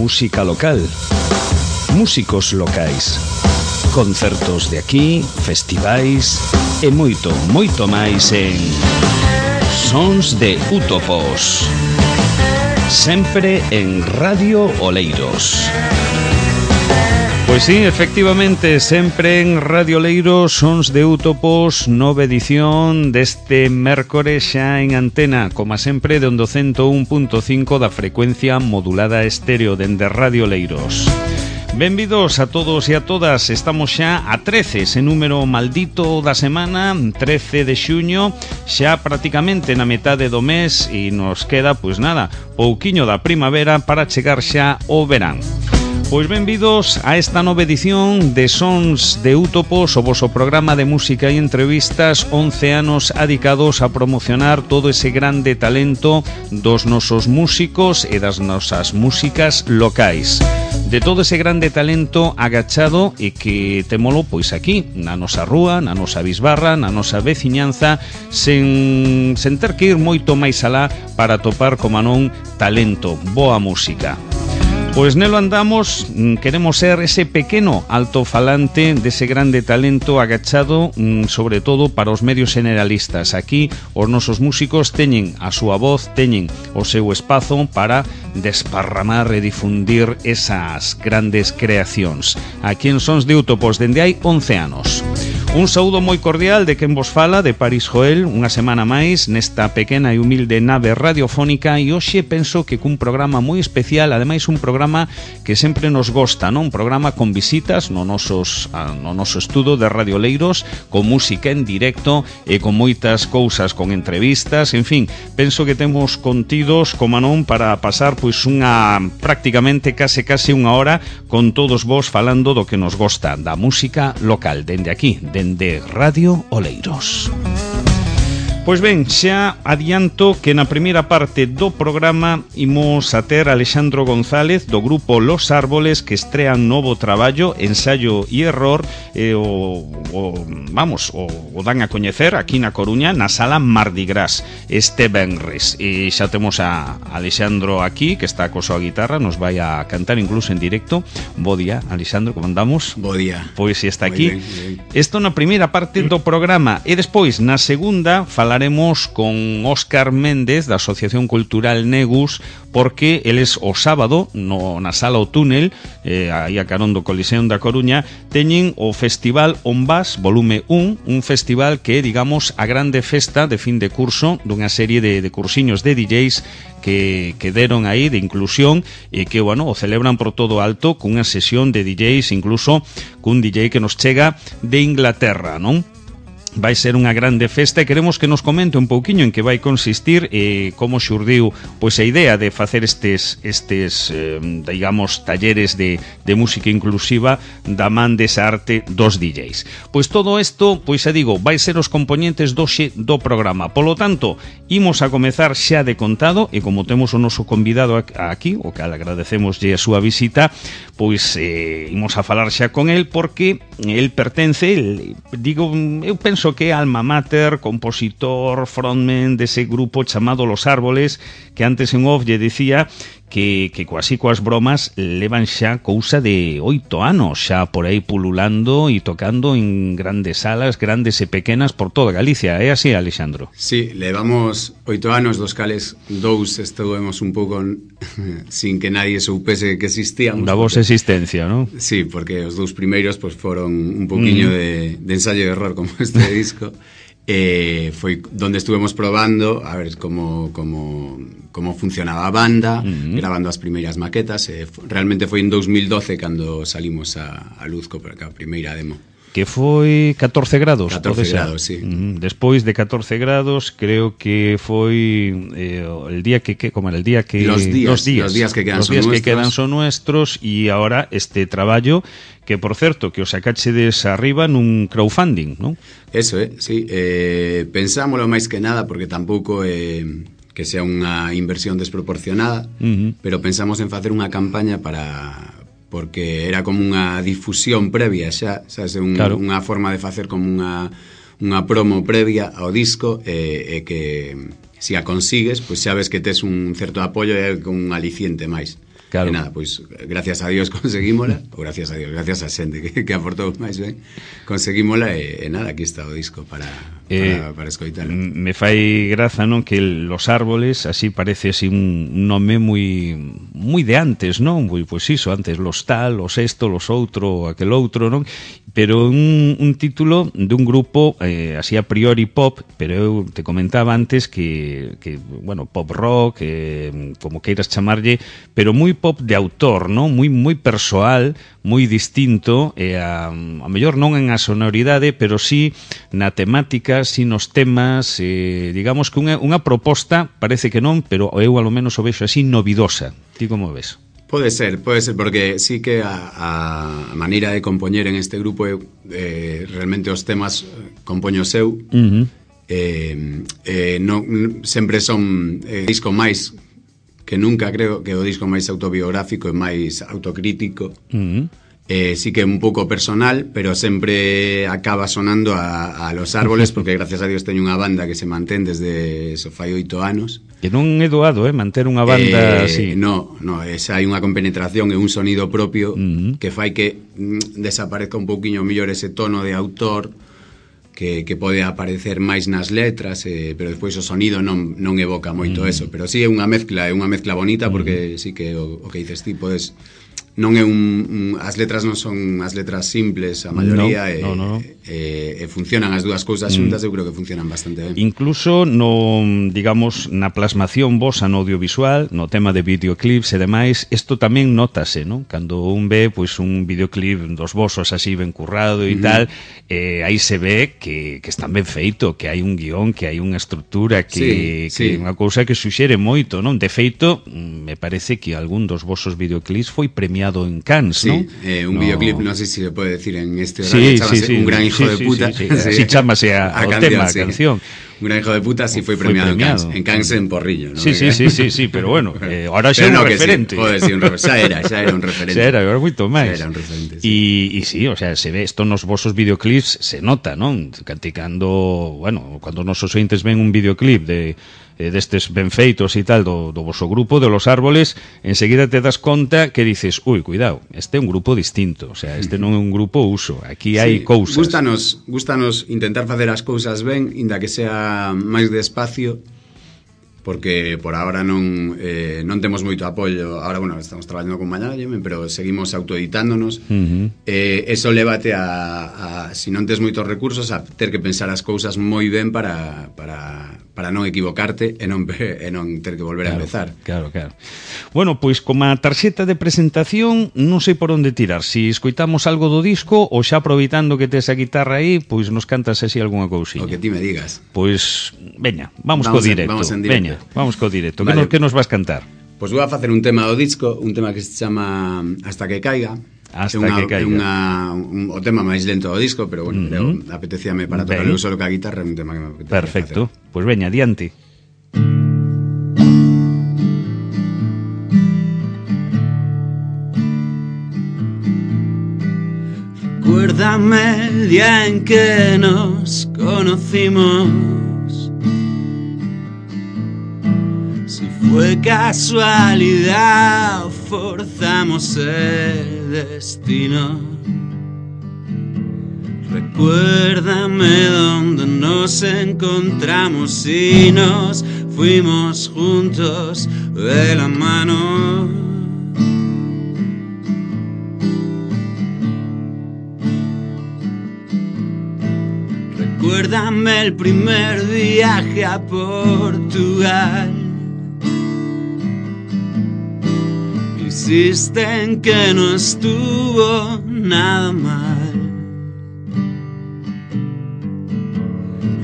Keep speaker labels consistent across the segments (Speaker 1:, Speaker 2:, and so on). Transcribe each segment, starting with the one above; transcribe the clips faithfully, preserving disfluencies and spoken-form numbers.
Speaker 1: música local, músicos locais, concertos de aquí, festivais e moito, moito máis en Sons de Útopos, sempre en Radio Oleiros. Pois sí, efectivamente, sempre en Radio Oleiros, Sons de Útopos, nova edición deste mércores xa en antena, como sempre, de onde cento un punto cinco da frecuencia modulada estéreo dende Radio Oleiros. Benvidos a todos e a todas. Estamos xa a trece, ese número maldito da semana, trece de xuño, xa prácticamente na metade do mes, e nos queda, pois nada, pouquiño da primavera para chegar xa ao verán. Pois benvidos a esta nova edición de Sons de Útopos, o voso programa de música e entrevistas, once anos adicados a promocionar todo ese grande talento dos nosos músicos e das nosas músicas locais. De todo ese grande talento agachado e que temolo pois aquí, na nosa rúa, na nosa bisbarra, na nosa veciñanza, sen, sen ter que ir moito máis alá para topar, como non, talento, boa música. Pois nelo andamos, queremos ser ese pequeno altofalante dese grande talento agachado, sobre todo para os medios generalistas. Aquí os nosos músicos teñen a súa voz, teñen o seu espazo para desparramar e difundir esas grandes creacións. Aquí en Sons de Útopos dende hai once anos. Un saúdo moi cordial de quen vos fala, de París Joel, unha semana máis nesta pequena e humilde nave radiofónica, e hoxe penso que cun programa moi especial, ademais un programa que sempre nos gosta, non? Un programa con visitas no, nosos, no noso estudo de Radio Oleiros, con música en directo e con moitas cousas, con entrevistas, en fin, penso que temos contidos, como non, para pasar pois unha prácticamente case case unha hora con todos vos falando do que nos gosta, da música local, dende aquí, dende Radio Oleiros. Pois ben, xa adianto que na primeira parte do programa imos a ter Alexandro González do grupo Los Árboles, que estrean novo traballo, Ensayo e Error, e o, o vamos, o, o dan a coñecer aquí na Coruña, na sala Mardi Gras, este venres. E xa temos a Alexandro aquí, que está co súa guitarra, nos vai a cantar incluso en directo. Bo día, Alexandro, como andamos?
Speaker 2: Bo día.
Speaker 1: Pois si está aquí.
Speaker 2: Bien, bien.
Speaker 1: Isto na primeira parte do programa, e despois, na segunda, falaremos Falaremos con Óscar Méndez da Asociación Cultural Negus, porque eles o sábado no, na sala O Túnel, eh, aí a carón do Coliseum da Coruña, teñen o Festival Onbas volume un, un festival que é, digamos, a grande festa de fin de curso dunha serie de, de cursiños de D Js que, que deron aí de inclusión e que, bueno, o celebran por todo alto cunha sesión de D Js, incluso cun D J que nos chega de Inglaterra, non? Vai ser unha grande festa e queremos que nos comente un pouquiño en que vai consistir e como xurdiu pois a idea de facer estes estes eh, digamos talleres de, de música inclusiva da man desa arte dos D Js. Pois todo isto, pois xa digo, vai ser os componentes doxe do programa. Polo tanto, imos a comezar xa de contado e como temos o noso convidado aquí, o cal agradecemoslle a súa visita, pois eh, imos a falar xa con el porque el pertence, el, digo, eu penso que é alma mater, compositor, frontman dese grupo chamado Los Árboles, que antes en off lle dicía que, que coasí coas bromas levan xa cousa de oito anos xa por aí pululando e tocando en grandes salas, grandes e pequenas por toda Galicia. É así, Alexandro?
Speaker 2: Sí, levamos oito anos, dos cales dous estuvemos un pouco sin que nadie soupese que existíamos.
Speaker 1: Da vosa existencia, non?
Speaker 2: Sí, porque os dous primeiros pues, foron un poquinho mm. de, de ensayo e error como este disco. Eh, foi donde estuvemos probando a ver como, como, como funcionaba a banda, uh-huh. grabando as primeiras maquetas. Eh, realmente foi en dos mil doce cando salimos a, a luz co a primeira demo.
Speaker 1: Que foi catorce grados.
Speaker 2: catorce grados, sí.
Speaker 1: Uh-huh. Despois de catorce grados, creo que foi eh, el día que, que como era el día que
Speaker 2: los días,
Speaker 1: los días,
Speaker 2: los días que quedan
Speaker 1: los
Speaker 2: son
Speaker 1: días
Speaker 2: nuestros.
Speaker 1: que quedan son nuestros e ahora este traballo que, por certo, que os sacachedes arriba nun crowdfunding, non?
Speaker 2: Eso, eh, sí. Eh, pensámoslo máis que nada porque tampouco é eh, que sea unha inversión desproporcionada, uh-huh. pero pensamos en facer unha campaña para... porque era como unha difusión previa xa, sabes, un, claro. unha forma de facer como unha, unha promo previa ao disco e, e que se a consigues, pois pues xa ves que tes un certo apoio e con un aliciente máis. Claro. E nada, pois, gracias a Dios conseguímola, ou gracias a Dios, gracias a xente que, que aportou máis ben, conseguímola e, e nada, aquí está o disco para, para, eh, para escoitalo.
Speaker 1: Me fai graza, non, que Los Árboles, así parece así un nome moi moi de antes, non? Pois, pois iso, antes los tal, los esto, los outro, aquel outro, non? Pero un, un título de un grupo eh, así a priori pop, pero eu te comentaba antes que, que bueno, pop rock, eh, como queiras chamarlle, pero moi pop de autor, non? Moi moi persoal, moi distinto, e a, a mellor non en a sonoridade, pero sí na temática, sí nos temas, eh, digamos que unha, unha proposta, parece que non, pero eu alo menos o vexo así novidosa. Ti como ves?
Speaker 2: Pode ser, pode ser, porque sí que a, a maneira de compoñer en este grupo eh, realmente os temas compoño seu uh-huh. eh, eh, non, sempre son eh, disco máis que nunca, creo que o disco máis autobiográfico e máis autocrítico uh-huh. eh, sí que é un pouco personal, pero sempre acaba sonando a, a Los Árboles, porque gracias a Dios teño unha banda que se mantén desde eso fai oito anos.
Speaker 1: Que non é doado, eh, manter unha banda
Speaker 2: eh,
Speaker 1: así.
Speaker 2: No, no, esa hai unha compenetración e un sonido propio uh-huh. que fai que mm, desaparezca un pouquiño mellor ese tono de autor que, que pode aparecer máis nas letras, eh, pero despois o sonido non, non evoca moito uh-huh. eso, pero sí é unha mezcla, é unha mezcla bonita porque uh-huh. sí que o, o que dices ti podes... Non é un, un as letras non son as letras simples, a maioría no, no, no. E, e, e funcionan as dúas cousas xuntas, mm. eu creo que funcionan bastante ben.
Speaker 1: Incluso no, digamos, na plasmación vosa no audiovisual, no tema de videoclips e demais, isto tamén notase, non? Cando un ve pois un videoclip dos vosos así ben currado e uh-huh. tal, eh, aí se ve que, que están ben feito, que hai un guión, que hai unha estrutura, que, sí, que sí. unha cousa que suxere moito, non? De feito, me parece que algún dos vosos videoclips foi premiado en Cannes,
Speaker 2: sí,
Speaker 1: ¿no?
Speaker 2: Eh, un no. videoclip, non sei se se pode decir en este
Speaker 1: sí,
Speaker 2: horario, chamase
Speaker 1: sí, sí,
Speaker 2: Un gran hijo
Speaker 1: sí,
Speaker 2: de puta.
Speaker 1: Sí, sí, sí. Así chamase a, a o canción, tema, a sí. canción.
Speaker 2: Un gran hijo de puta sí foi premiado, premiado en Cannes, en Cannes en Porrillo, ¿no?
Speaker 1: Sí, sí, sí, sí, sí, pero bueno, eh, ahora xa é un
Speaker 2: no,
Speaker 1: referente.
Speaker 2: Sí, joder, sí, un referente. Xa era, xa era un referente.
Speaker 1: Xa era, agora moito máis.
Speaker 2: Xa era un referente,
Speaker 1: sí. E, e sí, o sea, se ve isto nos vosos videoclips, se nota, non? Canticando, bueno, cando os nosos ointes ven un videoclip de eh, destes ben feitos e tal do, do voso grupo, de Los Árboles, enseguida te das conta que dices, ui, cuidado, este é un grupo distinto, o sea, este non é un grupo uso, aquí hai sí, cousas.
Speaker 2: Gústanos, gústanos intentar facer as cousas ben, inda que sea máis despacio, porque por agora non eh, non temos moito apoio. Agora, bueno, estamos traballando con management, pero seguimos autoeditándonos. Uh-huh. Eh, eso lévate a, a, si non tes moitos recursos, a ter que pensar as cousas moi ben para, para, para non equivocarte e non, e non ter que volver
Speaker 1: claro,
Speaker 2: a empezar.
Speaker 1: Claro, claro. Bueno, pois como a tarxeta de presentación, non sei por onde tirar. Si escoitamos algo do disco ou xa aproveitando que tes a guitarra aí, pois nos cantas así algunha cousiña.
Speaker 2: O que ti me digas.
Speaker 1: Pois, veña, vamos, vamos co directo.
Speaker 2: En, vamos en directo.
Speaker 1: Veña. Vamos co directo.
Speaker 2: Vale.
Speaker 1: Que, nos, que nos vas cantar?
Speaker 2: Pois pues vou a facer un tema do disco, un tema que se chama Hasta que caiga.
Speaker 1: Hasta
Speaker 2: unha,
Speaker 1: que caiga.
Speaker 2: Unha, un, o tema máis lento do disco, pero bueno, uh-huh. creo, apetecíame para tocar eu solo ca guitarra, un tema que me apetecía.
Speaker 1: Perfecto. Pois pues veña, adiante.
Speaker 2: Recuérdame el día en que nos conocimos. Fue casualidad o forzamos el destino. Recuérdame dónde nos encontramos y nos fuimos juntos de la mano. Recuérdame el primer viaje a Portugal. Insisten que no estuvo nada mal.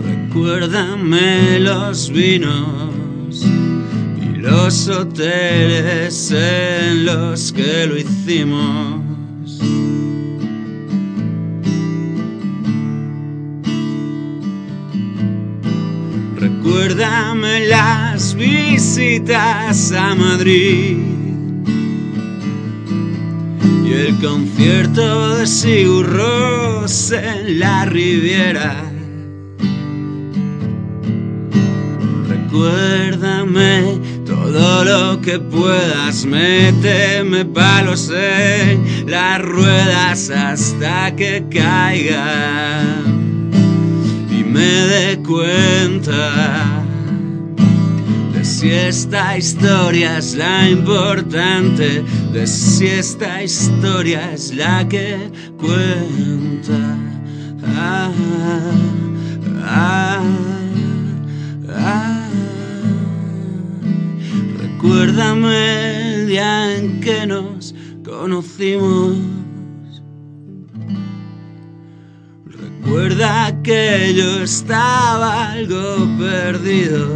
Speaker 2: Recuérdame los vinos y los hoteles en los que lo hicimos. Recuérdame las visitas a Madrid y el concierto de Sigur Rós en la Riviera. Recuérdame todo todo lo que puedas, méteme palos en las ruedas hasta que caiga y me dé cuenta de si esta historia es la importante, de si esta historia es la que cuenta. Ah, ah, ah. Recuérdame el día en que nos conocimos. Recuerda que yo estaba algo perdido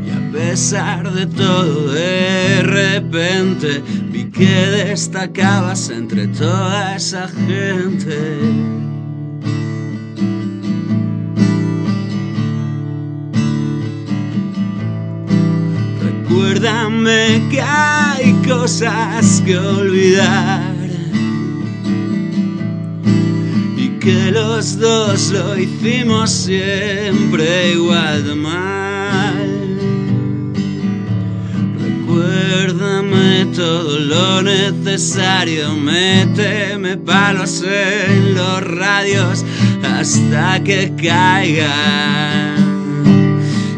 Speaker 2: y a pesar de todo de repente vi que destacabas entre toda esa gente. Recuérdame que hay cosas que olvidar y que los dos lo hicimos siempre igual de mal. Recuérdame todo lo necesario, méteme palos en los radios hasta que caigan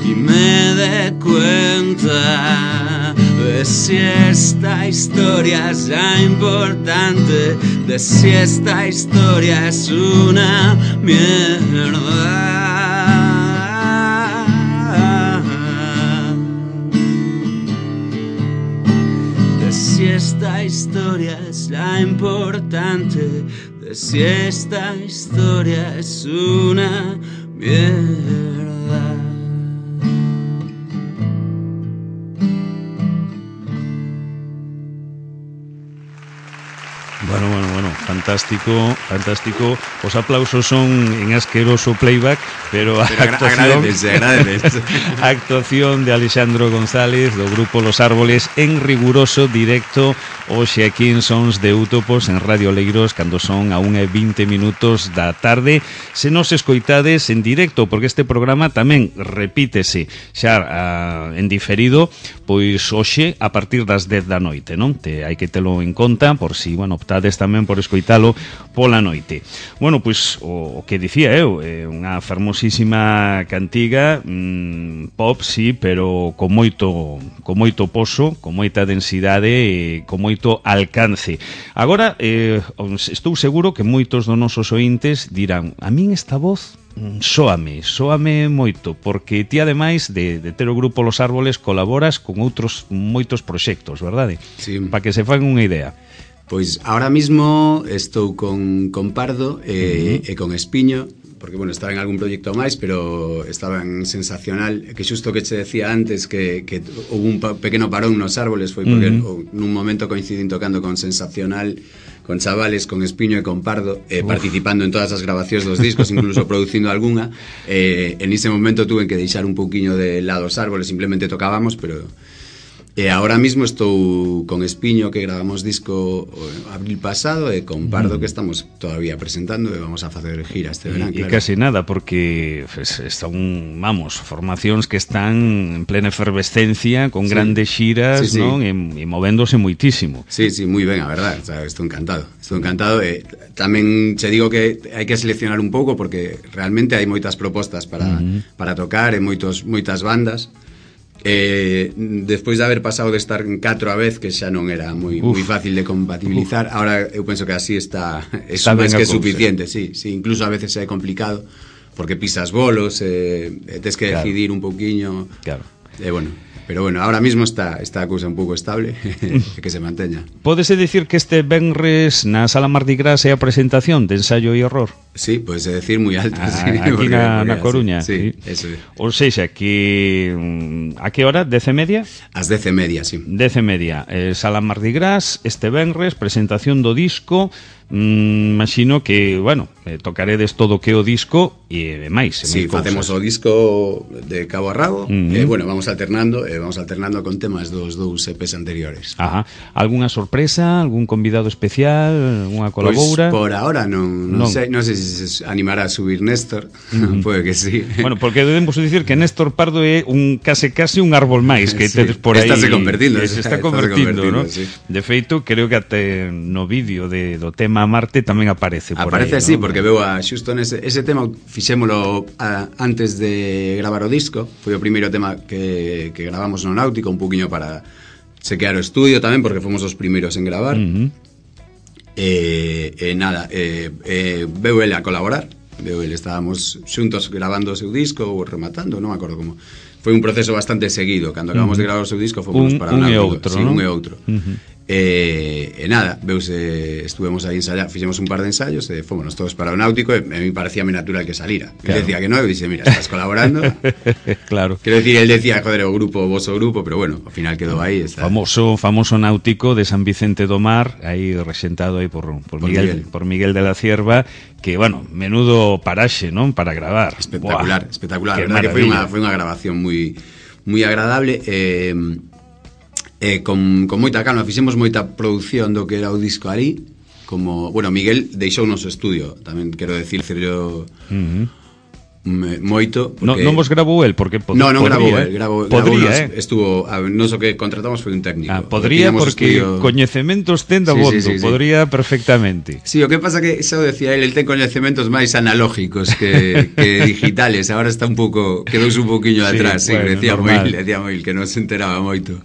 Speaker 2: y me dé cuenta de si esta historia es la importante, de si esta historia es una mierda. De si esta historia es la importante, de si esta historia es una mierda.
Speaker 1: Bueno, bueno, bueno, fantástico, fantástico. Os aplausos son en asqueroso playback, pero a
Speaker 2: pero
Speaker 1: actuación,
Speaker 2: agradece, agradece.
Speaker 1: a actuación de Alexandro González do grupo Los Árboles en riguroso directo hoxe aquí en Sons de Útopos en Radio Oleiros cando son a unha e vinte minutos da tarde. Se nos escoitades en directo, porque este programa tamén repítese xa uh, en diferido, pois hoxe a partir das dez da noite, non? Te, hai que telo en conta por si, bueno, optades tamén por escoitalo pola noite. Bueno, pois o, o que dicía eu, é unha fermosísima cantiga, mmm, pop, sí, pero con moito con moito poso, con moita densidade e con moito alcance. Agora, eh, estou seguro que moitos dos nosos ointes dirán, a min esta voz sóame, sóame moito, porque ti ademais de, de ter o grupo Los Árboles colaboras con outros moitos proxectos, verdade?
Speaker 2: Sí.
Speaker 1: Para que se fan unha idea.
Speaker 2: Pois ahora mismo estou con, con Pardo e, uh-huh. e con Espiño, porque, bueno, estaba en algún proxecto máis, pero estaba en Sensacional, que xusto que che decía antes que, que houve un pequeno parón nos Árboles, foi porque uh-huh. nun momento coincidín tocando con Sensacional, con chavales, con Espiño e con Pardo, eh, participando en todas as grabacións dos discos, incluso producindo algunha. Eh, en ese momento tuve que deixar un pouquiño de lado os Árboles, simplemente tocábamos, pero... E ahora mismo estou con Espiño, que gravamos disco abril pasado, e con Pardo, que estamos todavía presentando, e vamos a facer gira este verán,
Speaker 1: e,
Speaker 2: claro.
Speaker 1: E casi nada, porque pues, están, vamos, formacións que están en plena efervescencia, con sí. grandes xiras, sí, sí. non? E, e movéndose moitísimo.
Speaker 2: Sí, sí, moi ben, a verdad, o sea, estou encantado. Estou encantado, e tamén che digo que hai que seleccionar un pouco, porque realmente hai moitas propostas para, uh-huh. para tocar, e moitos, moitas bandas. Eh, despois de haber pasado de estar en catro a vez, que xa non era moi, moi fácil de compatibilizar, Uf. Ahora eu penso que así está, está máis que suficiente, sí, sí, incluso a veces é complicado porque pisas bolos, eh, tes que claro. decidir un pouquiño, claro. E eh, bueno, pero bueno, ahora mismo está está a cousa un pouco estable e que se manteña.
Speaker 1: Pódese dicir que este venres na Sala Mardi Gras é a presentación de Ensayo e Error?
Speaker 2: Sí, pódese decir moi alto, ah, sí,
Speaker 1: aquí porque, na, na Coruña.
Speaker 2: Sí, sí, eso é.
Speaker 1: Ou seja, que a que hora? Dez e media?
Speaker 2: As dez e media, sí.
Speaker 1: Dez e media, eh, Sala Mardi Gras, este venres, presentación do disco. mm, imagino que, bueno, eh, tocaredes todo o que o disco e máis.
Speaker 2: Sí, facemos o disco de cabo a rabo, uh-huh. e, bueno, vamos alternando, e vamos alternando con temas dos dous E Pes anteriores.
Speaker 1: Ajá. Algúnha sorpresa, algún convidado especial, algunha colaboura?
Speaker 2: Pois por ahora non, non, non. sei, non sei se se animará a subir Néstor, uh-huh. Pode que sí.
Speaker 1: Bueno, porque debemos dicir que Néstor Pardo é un case case un árbol máis que sí. tedes por aí.
Speaker 2: Está se convertindo,
Speaker 1: se está convertindo, ¿no? Sí. De feito, creo que até no vídeo de do tema Marte tamén aparece por
Speaker 2: aparece
Speaker 1: aí.
Speaker 2: Aparece, sí,
Speaker 1: ¿no?
Speaker 2: Porque veo a xusto nese ese tema fixémolo a, antes de gravar o disco, foi o primeiro tema que, que gravamos no Náutico, un poquinho para chequear o estudio tamén, porque fomos os primeiros en gravar. Uh-huh. E, e nada, e, e veu ele a colaborar, veu ele, estábamos xuntos gravando o seu disco ou rematando, non me acordo como. Foi un proceso bastante seguido, cando acabamos uh-huh. de gravar o seu disco fomos
Speaker 1: un,
Speaker 2: para
Speaker 1: un
Speaker 2: Náutico,
Speaker 1: e outro,
Speaker 2: sí,
Speaker 1: ¿no?
Speaker 2: un e outro. Uh-huh. E, e nada, veuse, estuvemos aí ensayando, fixemos un par de ensayos e fomos todos para o Náutico e a mí parecía natural que salira. Claro. Él decía que no, e dixe, mira, estás colaborando.
Speaker 1: Claro.
Speaker 2: Quero decir, él decía, joder, o grupo, vos o grupo, pero bueno, ao final quedou aí. Está.
Speaker 1: Famoso famoso Náutico de San Vicente do Mar, aí resentado aí por, por, por, Miguel, Miguel. por Miguel de la Cierva, que, bueno, menudo paraxe, non? Para gravar.
Speaker 2: Espectacular, Buah, espectacular. A verdade que foi unha, foi unha grabación moi moi agradable. Eh, Eh, con, con moita calma, fixemos moita produción do que era o disco ali, como, bueno, Miguel deixou o noso estudio, tamén quero decir, yo uh-huh. moito
Speaker 1: porque... no, non vos grabou el, porque pod-
Speaker 2: no, non
Speaker 1: podría,
Speaker 2: grabou
Speaker 1: eh?
Speaker 2: el, grabou,
Speaker 1: podría,
Speaker 2: grabou nos,
Speaker 1: eh?
Speaker 2: estuvo, a, non so que contratamos foi un técnico.
Speaker 1: Ah, podría porque estudio... coñecementos ten da
Speaker 2: sí,
Speaker 1: bondo,
Speaker 2: sí, sí, sí.
Speaker 1: podría perfectamente.
Speaker 2: Sí, o que pasa que, xa o decía él, el ten coñecementos máis analógicos que, que digitales, agora está un pouco, quedouse un pouquiño sí, atrás, sí, bueno, decía moi, decía moi que non se enteraba moito.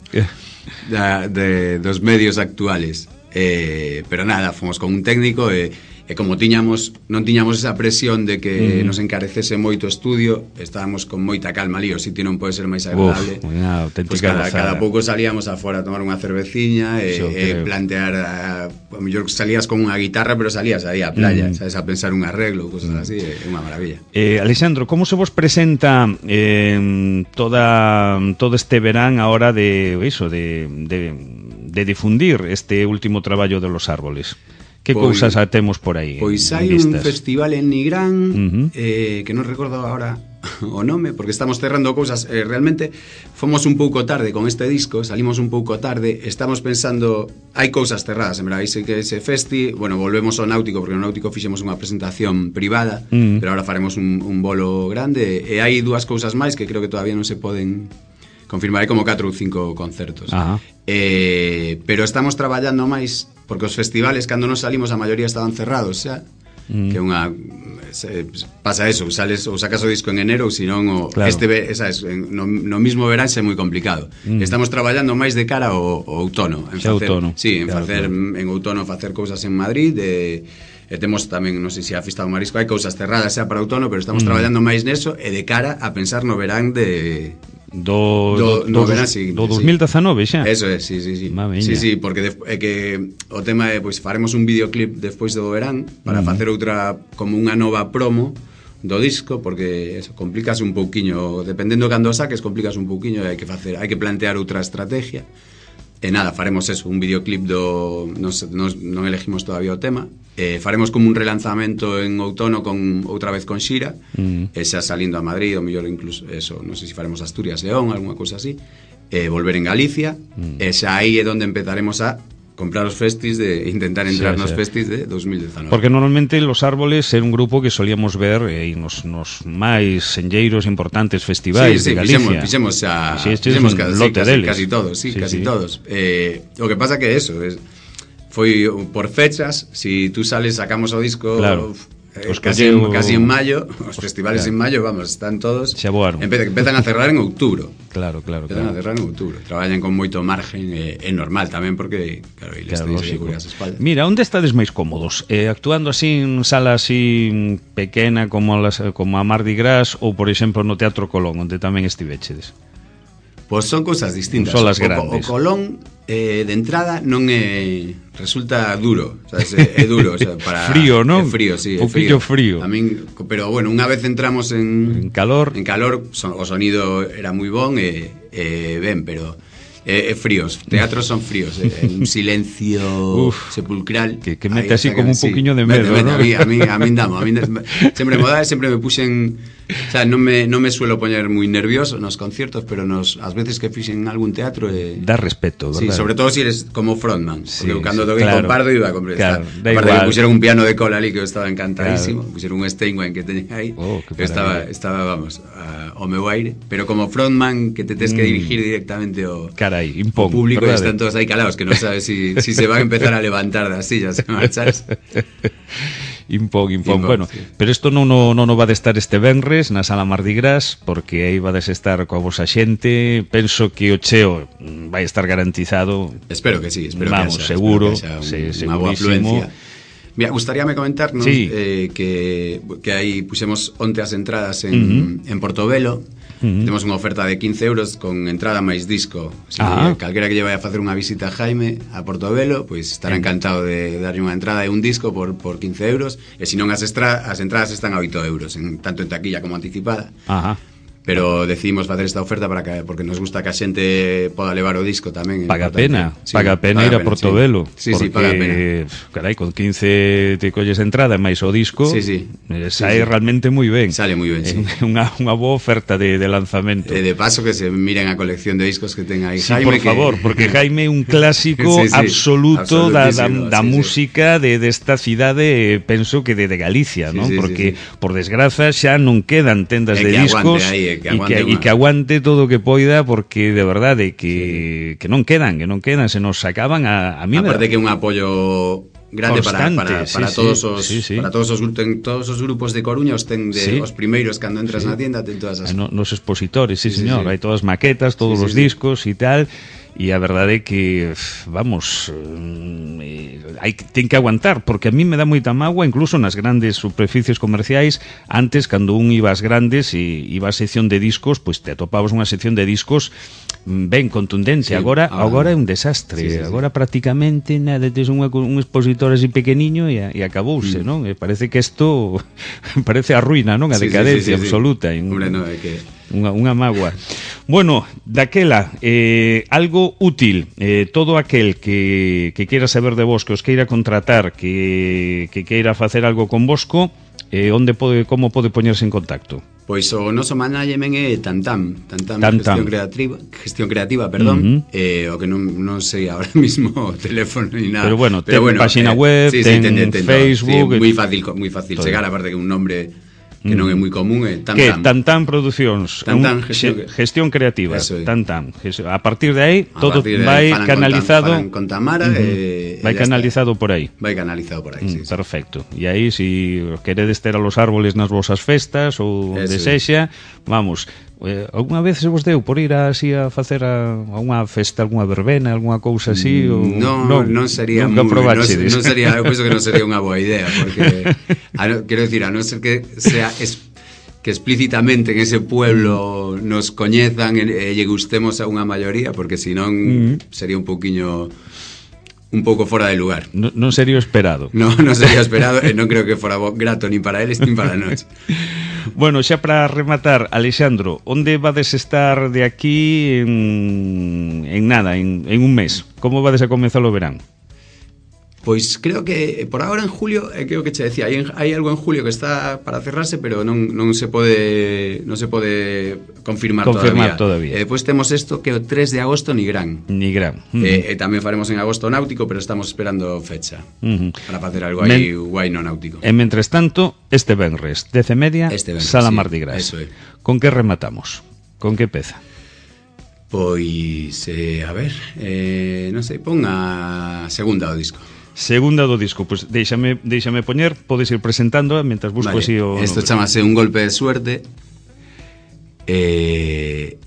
Speaker 2: Da, de, dos medios actuales, eh, pero nada, fomos con un técnico e, e como tiñamos non tiñamos esa presión de que mm. nos encarecese moito o estudio, estábamos con moita calma ali, o sitio non pode ser máis agradable.
Speaker 1: Uf, unha auténtica
Speaker 2: pues cada, cada pouco salíamos afuera a tomar unha cerveciña e, e plantear a, a mellor salías con unha guitarra, pero salías aí á playa, mm. sabes, a pensar un arreglo, cosas mm. así, é unha maravilla.
Speaker 1: Eh, Alexandro, como se vos presenta eh, toda todo este verán a hora de eso, de, de, de difundir este último traballo de Los Árboles? Que pois, cousas temos por aí?
Speaker 2: Pois hai un festival en Nigrán, uh-huh. eh, que non recordo agora o nome, porque estamos cerrando cousas. Eh, realmente fomos un pouco tarde con este disco, salimos un pouco tarde, estamos pensando, hai cousas cerradas, en verdade, hai que ese festi, bueno, volvemos ao Náutico, porque no Náutico fixemos unha presentación privada, uh-huh. pero ahora faremos un, un bolo grande, e hai dúas cousas máis que creo que todavía non se poden confirmar, hai como catro ou cinco concertos. Uh-huh. Eh, pero estamos traballando máis, porque os festivales cando nos salimos a maioría estaban cerrados xa, mm. que unha se, pasa eso, sales ou sacas o disco en enero ou senón o claro. este sabes, no, no mismo verán é moi complicado. Mm. Estamos traballando máis de cara ao, ao outono, en facer,
Speaker 1: outono.
Speaker 2: Sí, en
Speaker 1: claro,
Speaker 2: facer
Speaker 1: claro.
Speaker 2: en outono facer cousas en Madrid, e, e temos tamén, non sei se a Festa do Marisco hai cousas cerradas xa para outono, pero estamos mm. traballando máis neso e de cara a pensar no verán de
Speaker 1: Do,
Speaker 2: do,
Speaker 1: do,
Speaker 2: do,
Speaker 1: do,
Speaker 2: seguinte,
Speaker 1: do dos mil dezanove xa.
Speaker 2: Eso é, sí, sí, sí. Sí, sí, porque de, é que o tema é, pois, faremos un videoclip despois do verán para uh-huh. facer outra, como unha nova promo do disco, porque eso, complicas un pouquiño, dependendo cando saques, complicas un pouquiño e hai que facer, hai que plantear outra estrategia. E nada, faremos eso, un videoclip do... Non, non, non elegimos todavía o tema. Eh, faremos como un relanzamento en outono con outra vez con Xira, mm. e xa salindo a Madrid, ou mellor incluso eso, non sei se faremos Asturias, León, alguna cousa así, e eh, volver en Galicia, mm. e xa aí é onde empezaremos a comprar os festis, de intentar entrar sí, nos sí. festis de dos mil dezanove.
Speaker 1: Porque normalmente Los Árboles era un grupo que solíamos ver eh, nos, nos máis senlleiros importantes festivais
Speaker 2: sí, sí,
Speaker 1: de Galicia.
Speaker 2: Fixemos, fixemos xa
Speaker 1: sí,
Speaker 2: fixemos casi,
Speaker 1: lote
Speaker 2: casi,
Speaker 1: deles.
Speaker 2: casi todos, sí, sí casi sí. todos. Eh, o que pasa que eso, es, foi por fechas, si tú sales, sacamos o disco...
Speaker 1: Claro.
Speaker 2: Uf, Os casi, en, casi en mayo, os festivales claro. en mayo, vamos, están todos empe, empezan a cerrar en outubro.
Speaker 1: Claro, claro,
Speaker 2: empezan
Speaker 1: claro.
Speaker 2: a cerrar en outubro. Traballan con moito margen, é eh, normal tamén porque claro, eles claro, teñen que as espaldas.
Speaker 1: Mira, onde estades máis cómodos? Eh, actuando así en sala así pequena como, las, como a Mardi Gras ou, por exemplo, no Teatro Colón, onde tamén estivechedes?
Speaker 2: Pois son cousas distintas.
Speaker 1: Son las
Speaker 2: o,
Speaker 1: grandes.
Speaker 2: O Colón eh, de entrada non é resulta duro, sabes? É, é duro, o sea, para
Speaker 1: frío, ¿no?
Speaker 2: É frío, sí,
Speaker 1: un
Speaker 2: frío.
Speaker 1: frío.
Speaker 2: A min, pero bueno, unha vez entramos en
Speaker 1: en calor,
Speaker 2: en calor, son, o sonido era moi bon e, e ben, pero Eh, eh, fríos, teatros son fríos, eh, un silencio Uf, sepulcral
Speaker 3: que, que mete así como un
Speaker 2: sí,
Speaker 3: poquinho de medo,
Speaker 2: mete, mete,
Speaker 3: ¿no?
Speaker 2: a mí, a mí, a mí damo, a mí sempre me dá, sempre me puxen, o sea, non me, non me suelo poñer moi nervioso nos conciertos, pero nos, as veces que fixen algún teatro eh,
Speaker 3: dá respeto,
Speaker 2: sí,
Speaker 3: verdad?
Speaker 2: sobre todo si eres como frontman,
Speaker 3: sí,
Speaker 2: porque cando
Speaker 3: sí,
Speaker 2: toquei
Speaker 3: claro,
Speaker 2: con Pardo iba a comprar,
Speaker 3: claro,
Speaker 2: aparte que puxeron un piano de cola ali que eu estaba encantadísimo, claro. Puxeron un Steinway que teñen aí,
Speaker 3: oh,
Speaker 2: que estaba, estaba, vamos, a, ao meu aire, pero como frontman que te tes que dirigir directamente ao,
Speaker 3: carai, impón,
Speaker 2: o público
Speaker 3: verdade?
Speaker 2: E están todos aí calados que non sabes si, si se van a empezar a levantar das sillas e marcharse.
Speaker 3: Impón, impón,
Speaker 2: impón,
Speaker 3: bueno,
Speaker 2: sí.
Speaker 3: Pero isto non no, no, no va de estar este venres na Sala Mardi Gras, porque aí va de estar coa vosa xente. Penso que o cheo vai estar garantizado.
Speaker 2: Espero que sí, espero
Speaker 3: Vamos,
Speaker 2: que haxa,
Speaker 3: seguro,
Speaker 2: espero que haxa un,
Speaker 3: sí,
Speaker 2: unha boa
Speaker 3: segurísimo.
Speaker 2: afluencia. Mira, gustaríame comentarnos
Speaker 3: sí.
Speaker 2: eh, que, que aí puxemos onte as entradas en, uh-huh. en Portobelo. Uh-huh. Temos unha oferta de quince euros con entrada máis disco. Si ah. calquera que lle vai a facer unha visita a Jaime a Portobelo, pois estará uh-huh. encantado de darlle unha entrada e un disco por, por quince euros. E se non as, estra, as entradas están a oito euros, en, tanto en taquilla como anticipada.
Speaker 3: Ajá.
Speaker 2: Pero decidimos facer esta oferta para que, porque nos gusta que a xente poda levar o disco tamén.
Speaker 3: Paga pena, sí, paga pena ir a Portobelo.
Speaker 2: Sí, sí, sí, paga pena.
Speaker 3: Carai, con quince te colles entrada máis o disco,
Speaker 2: sí, sí.
Speaker 3: Sale
Speaker 2: sí, sí.
Speaker 3: realmente moi ben.
Speaker 2: Sale moi ben, sí.
Speaker 3: Unha, unha boa oferta de, de lanzamento.
Speaker 2: E de paso que se miren a colección de discos que ten aí
Speaker 3: sí,
Speaker 2: Jaime.
Speaker 3: por que... favor, porque Jaime é un clásico sí, sí, absoluto da, da, da sí, música sí. de desta de cidade, penso que de, de Galicia, sí, non? Sí, porque, sí, sí. por desgraza, xa non quedan tendas
Speaker 2: e
Speaker 3: de discos
Speaker 2: e que,
Speaker 3: que, e que aguante todo o que poida, porque de verdade que, sí. que non quedan, que non quedan, se nos sacaban a, a mí.
Speaker 2: Aparte que un apoio grande constante, para, para, para sí, todos os
Speaker 3: sí, sí.
Speaker 2: para todos os ten, todos os grupos de Coruña os ten de sí. os primeiros cando entras sí. na tienda, ten todas as
Speaker 3: no, nos expositores, sí, sí señor, sí, sí. hai todas maquetas, todos sí, os sí, discos e sí. tal. E a verdade é que, vamos, eh, hai, ten que aguantar, porque a mí me dá moita mágoa, incluso nas grandes superficies comerciais. Antes, cando un iba ás grandes e iba á sección de discos, pois te atopabas unha sección de discos ben contundente. Sí, agora, ah, agora é un desastre. Sí, sí, sí. Agora prácticamente nada, tes un, un expositor así pequeniño e, e acabouse, mm. non? E parece que isto parece a ruína, non? A
Speaker 2: sí,
Speaker 3: decadencia
Speaker 2: sí, sí, sí,
Speaker 3: absoluta.
Speaker 2: Sí. Hombre, no, é que...
Speaker 3: Unha, unha mágoa. Bueno, daquela, eh, algo útil, eh, todo aquel que, que queira saber de vos, que os queira contratar, que, que queira facer algo con vosco, eh, onde pode, como pode poñerse en contacto?
Speaker 2: Pois o noso management é Tantam, Tantam,
Speaker 3: Tantam.
Speaker 2: Gestión Creativa, gestión creativa, perdón, uh-huh. eh, o que non, non sei ahora mismo o teléfono ni nada.
Speaker 3: Pero bueno,
Speaker 2: Pero
Speaker 3: ten
Speaker 2: bueno,
Speaker 3: página
Speaker 2: eh,
Speaker 3: web,
Speaker 2: sí,
Speaker 3: ten,
Speaker 2: sí, ten, ten
Speaker 3: Facebook...
Speaker 2: Sí, moi fácil, moi fácil chegar, aparte que un nombre... que non é moi común, é Tantam.
Speaker 3: Que Tantam Producións,
Speaker 2: Tantam,
Speaker 3: un,
Speaker 2: gestión,
Speaker 3: gestión creativa,
Speaker 2: é.
Speaker 3: Tantam. A partir de aí,
Speaker 2: a
Speaker 3: todo
Speaker 2: de
Speaker 3: vai
Speaker 2: aí,
Speaker 3: canalizado
Speaker 2: con, Tam, con Tamara, uh-huh. e,
Speaker 3: vai canalizado está. por aí.
Speaker 2: Vai canalizado por aí,
Speaker 3: mm,
Speaker 2: sí,
Speaker 3: perfecto. E aí, si queredes ter a los árboles nas vosas festas ou de sexa, vamos... Eh, alguna vez se vos deu por ir así a facer a, a unha festa, algunha verbena, algunha cousa así? Ou...
Speaker 2: No, non, non sería moi, non, non sería, eu penso que non sería unha boa idea, porque a no, quero decir, a non ser que sea es, que explícitamente en ese pueblo nos coñezan e, e lle gustemos a unha maioría, porque senón mm. sería un pouquiño un pouco fora de lugar.
Speaker 3: No, non sería esperado.
Speaker 2: No, non sería esperado e non creo que fora grato nin para eles nin para nós.
Speaker 3: Bueno, xa para rematar, Alexandro, onde vades estar de aquí en, en nada, en, en un mes? Como vades a comenzar o verán?
Speaker 2: Pois creo que por agora en julio, eh, creo que che decía, hai, hai algo en julio que está para cerrarse, pero non, non se pode non se pode confirmar,
Speaker 3: confirmar
Speaker 2: todavía.
Speaker 3: todavía.
Speaker 2: E eh, depois temos isto que o tres de agosto Nigrán.
Speaker 3: Nigrán. Uh-huh.
Speaker 2: Eh, e tamén faremos en agosto náutico, pero estamos esperando fecha uh-huh. para facer algo aí Men... guai no náutico.
Speaker 3: E mentres tanto, este venres, dez e media,
Speaker 2: este venres,
Speaker 3: Sala
Speaker 2: sí,
Speaker 3: Mardi Gras.
Speaker 2: Eso é.
Speaker 3: Con que rematamos? Con que peza?
Speaker 2: Pois, eh, a ver, eh, non sei, pon a segunda do disco.
Speaker 3: Segunda do disco, pois pues déixame, déixame poñer, podes ir presentando mentras busco
Speaker 2: vale.
Speaker 3: así o...
Speaker 2: Isto chamase Un golpe de suerte. Eh,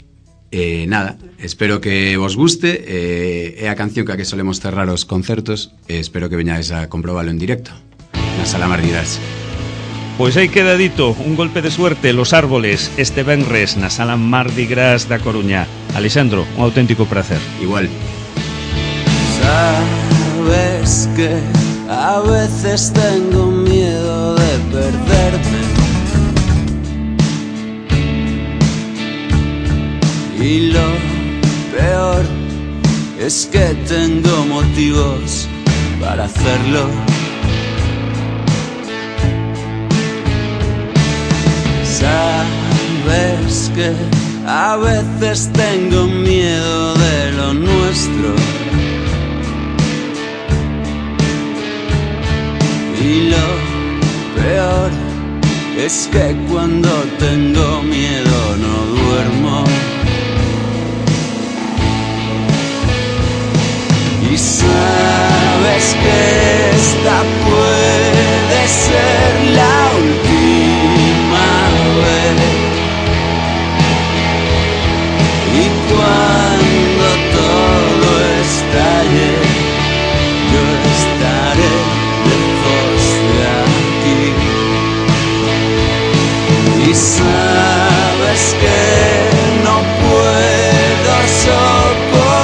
Speaker 2: eh, nada, espero que vos guste, eh, é a canción que a que solemos cerrar os concertos, e espero que veñades a comprobalo en directo na Sala Mardi Gras.
Speaker 3: Pois aí queda dito, Un golpe de suerte, Los Árboles, este venres na Sala Mardi Gras da Coruña. Alexandro, un auténtico placer.
Speaker 2: Igual.
Speaker 4: Sabes que a veces tengo miedo de perderme, y lo peor es que tengo motivos para hacerlo. Sabes que a veces tengo miedo de lo nuestro, y lo peor es que cuando tengo miedo no duermo. Y sabes que esta puede ser la última vez. Y cuando todo estalle, yo estaré lejos de aquí. Y sabes que no puedo soportarlo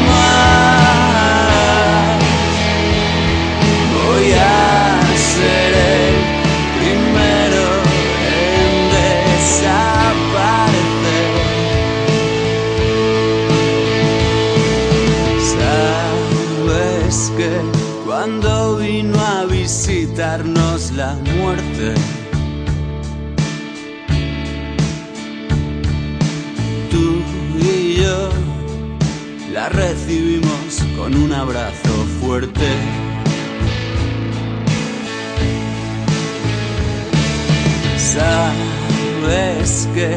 Speaker 4: más. Voy a ser el primero en desaparecer. Sabes que cuando vino a visitarnos la muerte, tú y yo la recibimos con un abrazo fuerte. Sabes que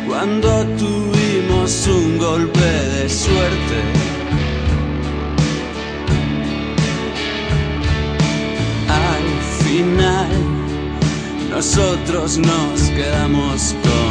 Speaker 4: cuando tuvimos un golpe de suerte, al final nosotros nos quedamos con